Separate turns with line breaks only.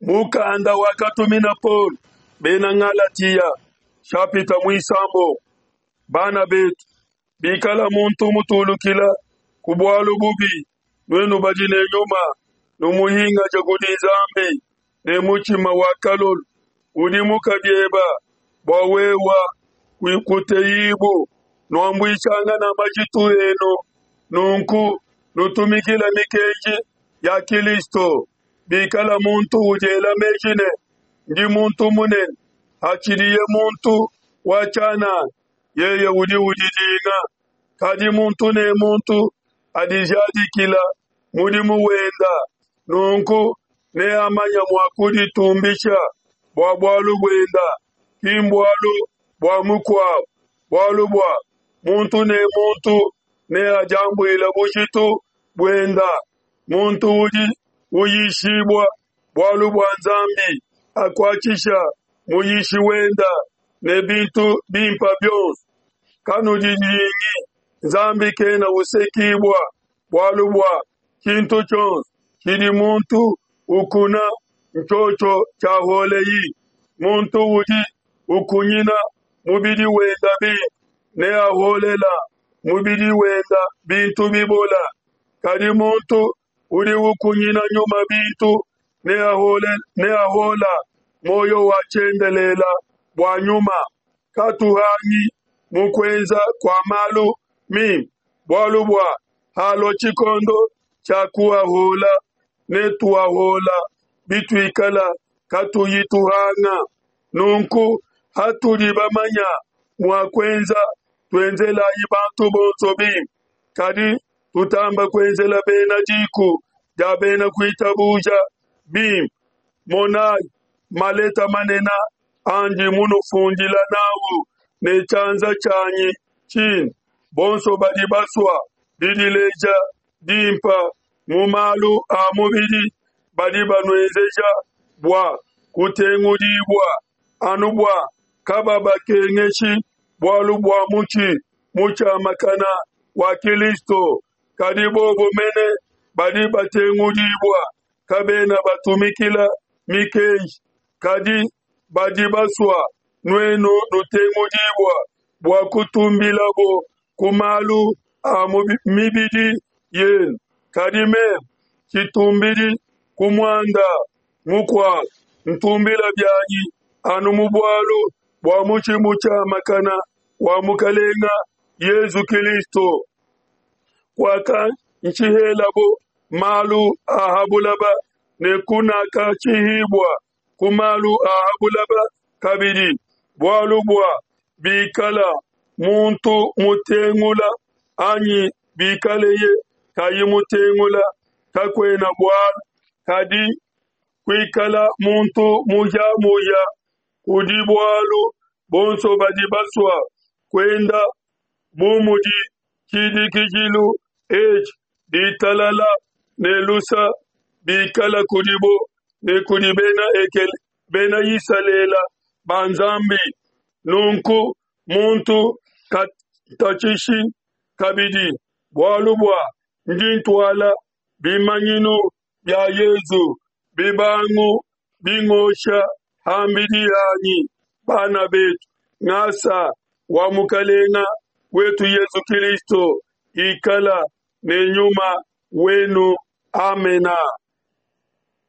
Mukanda wakatumina Paulo bena Ngalatia, shapita muisambombo. Bana betu, bikala muntu mutulukila ku bualu bubi, nuenu badi ne nyuma, numuhingaje kudi Nzambi ne mutshima wa kalolo. Udimuka bieba bua wewa kuteyibu, nuambuishangana majitu enu, nunku nutumikila mikenji ya Kilisto. Bikala muntu udiela meji ne, ndi muntu munene, hatshidiye muntu wa tshianana, yeye udi udidinga. Kadi muntu ne muntu adijadikila mudimu wenda, nunku neamanya mua kuditumbisha bua bualu buenda, ki mbualu bua mukuabu. Bualu bua muntu ne muntu neadiambuile bujitu buenda. Muntu udi uyishibua bualu bua Nzambi akuatshisha muyishi wenda ne bintu bimpa bionso. Kanudidingi, Nzambi kena usekibua, bualu bua tshintu tshionso tshidi muntu ukuna ntshiotshio tshiaholeyi. Muntu udi ukunyina mubidi wenda bimpe neaholela mubidi wenda bintu bibola. Kadi muntu udi ukunyina nyuma bintu neahola muoyo wa tshiendelela bua nyuma. Katuhangi mu kuenza kua malu mimpe, bualu bua halua tshikondo tshia kuahola, netuahola bituikala katuyi tuhanga. Nunku hatudi bamanya mua kuenza, tuenzelayi bantu bonso bimpe, kadi tutamba kuenzela bena diku dia bena kuitabuja bimpe. Monayi maleta manene andi munufundila nawu ne tshianza tshianyi tshine. Bonso badi basua didileja dimpa mu malu a mubidi badi banuenzeja bua kutengudibua, anu bua kababakengeshi bualu bua mutshi mutshiamakana wa Kilisto. Kadi bobo mene badi batengudibua kabena batumikila mikenji, kadi badi basua nuenu nutengudibua bua kutumbilabo ku malu a mibidi yenu. Kadi meme tshitumbidi ku muanda mukuabu, ntumbila bianyi anu mu bualu bua mutshi mutshiamakana wa Mukalenga Yezu Kilisto, kuakantshihelabo malu a ha bulaba ne kunakatshihibua ku malu a ha bulaba kabidi, bualu bua bikala muntu mutengula anyi bikaleye kayi mutengula, kakuena bualu, kadi kuikala muntu muhia-muhia kudi bualu. Bonso badi basua kuenda bu mudi tshidikijilu etshi, ditalala ne lusa bikala kudibo ne kudi bena ekele bena Isalele ba Nzambi. Nunku muntu katatshishi kabidi, bualu bua ndi ntuala bimanyinu bia Yezu bibangu bingosha ham'bidi hanyi. Bana betu, ngasa wa Mukalenga wetu Yezu Kilisto ikala ne nyuma wenu. Amena.